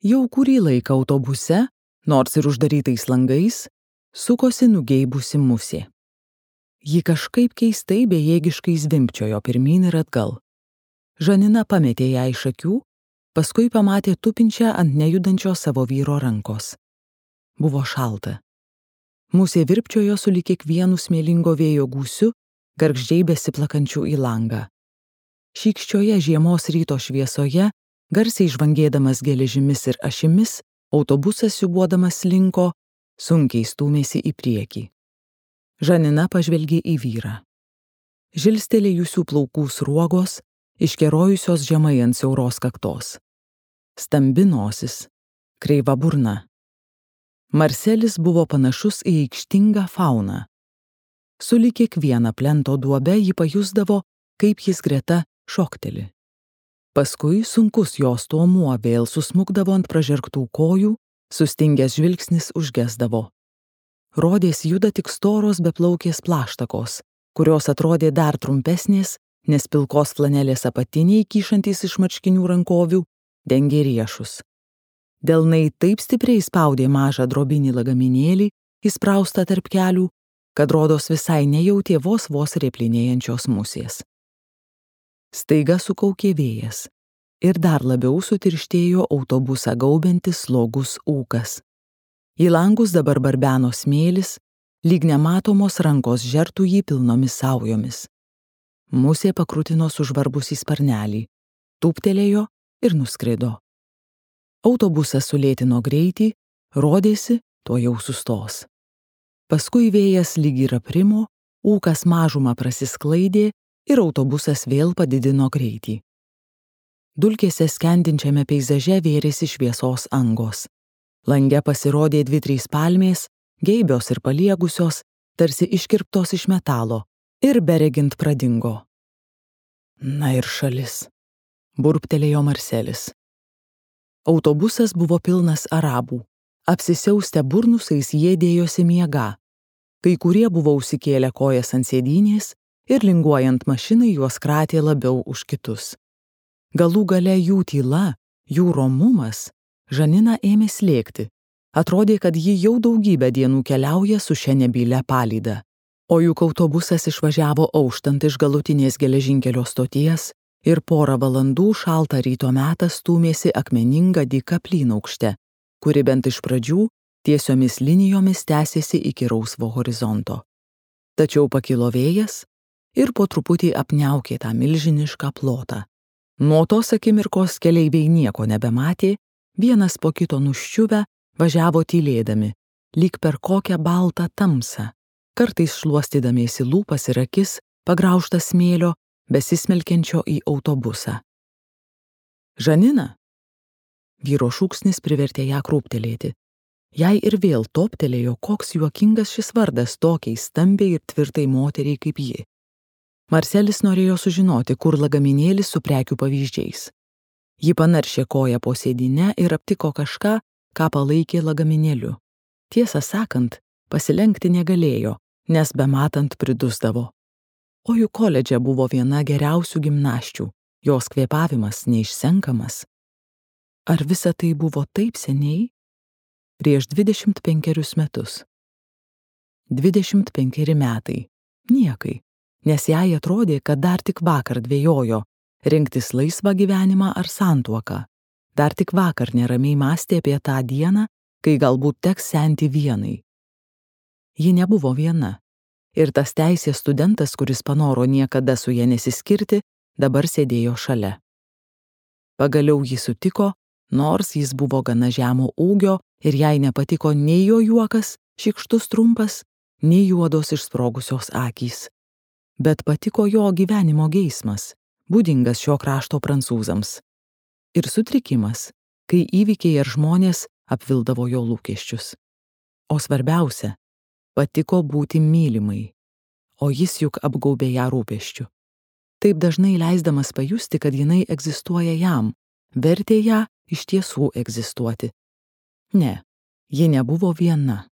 Jau kurį laiką autobuse, nors ir uždarytais langais, sukosi nugeibusi musė. Ji kažkaip keistai bejėgiškai zvimbčiojo pirmyn ir atgal. Žanina pametė ją iš akių, paskui pamatė tupinčią ant nejudančio savo vyro rankos. Buvo šalta. Musė virpčiojo sulig kiekvienu smėlingo vėjo gūsiu, gargždžiai besiplakančių į langą. Šykščioje žiemos ryto šviesoje, garsiai žvangėdamas geležimis ir ašimis, autobusas siūbuodamas slinko, sunkiai stūmėsi į priekį. Žanina pažvelgė į vyrą. Žilstelėjusių plaukų sruogos, iškerojusios žemai ant siauros kaktos. Stambi nosis, kreiva burna. Marselis buvo panašus į aikštingą fauną. Sulig kiekviena plento duobe ji pajusdavo, kaip jis greta šokteli. Paskui sunkus jos tuomuo vėl susmukdavo ant pražergtų kojų, sustingęs žvilgsnis užgesdavo. Rodės juda tik storos beplaukės plaštakos, kurios atrodė dar trumpesnės, nes pilkos flanelės apatiniai, kyšantys iš marškinių rankovių, dengė riešus. Delnai taip stipriai spaudė mažą drobinį lagaminėlį, įspraustą tarp kelių, kad rodos visai nejautė vos replinėjančios musės. Staiga sukaukė vėjas ir dar labiau sutirštėjo autobusą gaubiantis slogus ūkas. Į langus dabar barbeno smėlis, lyg nematomos rankos žertų jį pilnomis saujomis. Musė pakrutino sužvarbusį sparnelį, tūptelėjo ir nuskrido. Autobusas sulėtino greitį, rodėsi, to jau sustos. Paskui vėjas lyg ir aprimo, ūkas mažumą prasisklaidė ir autobusas vėl padidino greitį. Dulkėse skendinčiame peizaže vėrėsi šviesos angos. Lange pasirodė 2-3 palmės, geibios ir paliegusios, tarsi iškirptos iš metalo, ir beregint pradingo. Na ir šalis, burbtelėjo Marselis. Autobusas buvo pilnas arabų. Apsisiaustę burnusais jie dėjosi miegą. Kai kurie buvo užsikėlę kojas ant sėdynės ir linguojant mašinai juos kratė labiau už kitus. Galų gale jų tyla, jų romumas, Žanina ėmė slėgti. Atrodė, kad ji jau daugybę dienų keliauja su šia nebylia palyda. O juk autobusas išvažiavo auštant iš galutinės geležinkelio stoties ir porą valandų šaltą ryto metą stūmėsi akmeninga dyka plynaukšte, kuri bent iš pradžių tiesiomis linijomis tęsėsi iki rausvo horizonto. Tačiau pakilo vėjas ir po truputį apniaukė tą milžinišką plotą. Nuo tos akimirkos keleiviai nieko nebematė, vienas po kito nuščiuvę važiavo tylėdami, lyg per kokią baltą tamsą, kartais šluostydamiesi lūpas ir akis, pagraužtas smėlio, besismelkiančio į autobusą. Žanina? Vyro šūksnis privertė ją krūptelėti. Jai ir vėl toptelėjo, koks juokingas šis vardas tokiai stambiai ir tvirtai moteriai kaip ji. Marselis norėjo sužinoti, kur lagaminėlis su prekių pavyzdžiais. Ji panaršė koją po sėdynę ir aptiko kažką, ką palaikė lagaminėliu. Tiesą sakant, pasilenkti negalėjo, nes bematant pridusdavo. O juk koledže buvo viena geriausių gimnasčių, jos kvėpavimas neišsenkamas. Ar visa tai buvo taip seniai? Prieš 25 metus. 25 metai. Niekai, nes jai atrodė, kad dar tik vakar dvejojo, rinktis laisvą gyvenimą ar santuoką. Dar tik vakar neramiai mąstė apie tą dieną, kai galbūt teks senti vienai. Ji nebuvo viena. Ir tas teisės studentas, kuris panoro niekada su ja nesiskirti, dabar sėdėjo šalia. Pagaliau jį sutiko, nors jis buvo gana žemo ūgio ir jai nepatiko nei jo juokas, šykštus trumpas, nei juodos išsprogusios akys. Bet patiko jo gyvenimo geismas, būdingas šio krašto prancūzams. Ir sutrikimas, kai įvykiai ir žmonės apvildavo jo lūkesčius. O svarbiausia, patiko būti mylimai, o jis juk apgaubė ją rūpesčiu. Taip dažnai leisdamas pajusti, kad jinai egzistuoja jam, vertė ją iš tiesų egzistuoti. Ne, ji nebuvo viena.